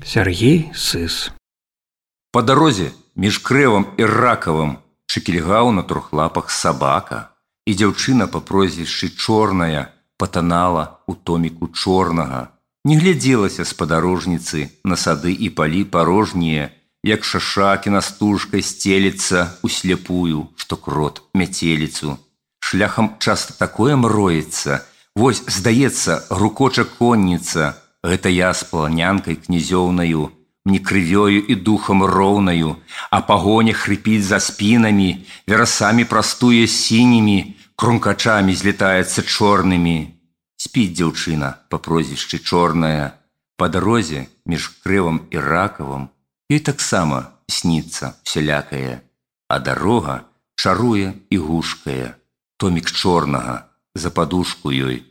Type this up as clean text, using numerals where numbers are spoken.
Сергей Сыс. По дарозе між Крэвам і Ракавым шыкільгаў на трохлапах сабака, і дзяўчына па прозвішчы Чорная патанала ў томіку чорнага. Не глядзелася спадарожніцы на сады і палі парожнія, як шаша кінастужкай сцелецца усляпую, што крот мяцеліцу. Шляхам часта такое мроецца, вось, здаецца, грукоча конніца, гэта я з паланянкай князёўнаю, мне крывёю і духам роўнаю, а пагоня хрыпіць за спінамі, верасамі прастуе сінімі, крумкачамі злетаецца чорнымі. Спіць дзяўчына па прозвішчы Чорная, па дарозе між Крэвам і Ракавым, ёй таксама сніцца всялякае, а дарога чаруе і гушкае. Томік чорнага за падушку ёй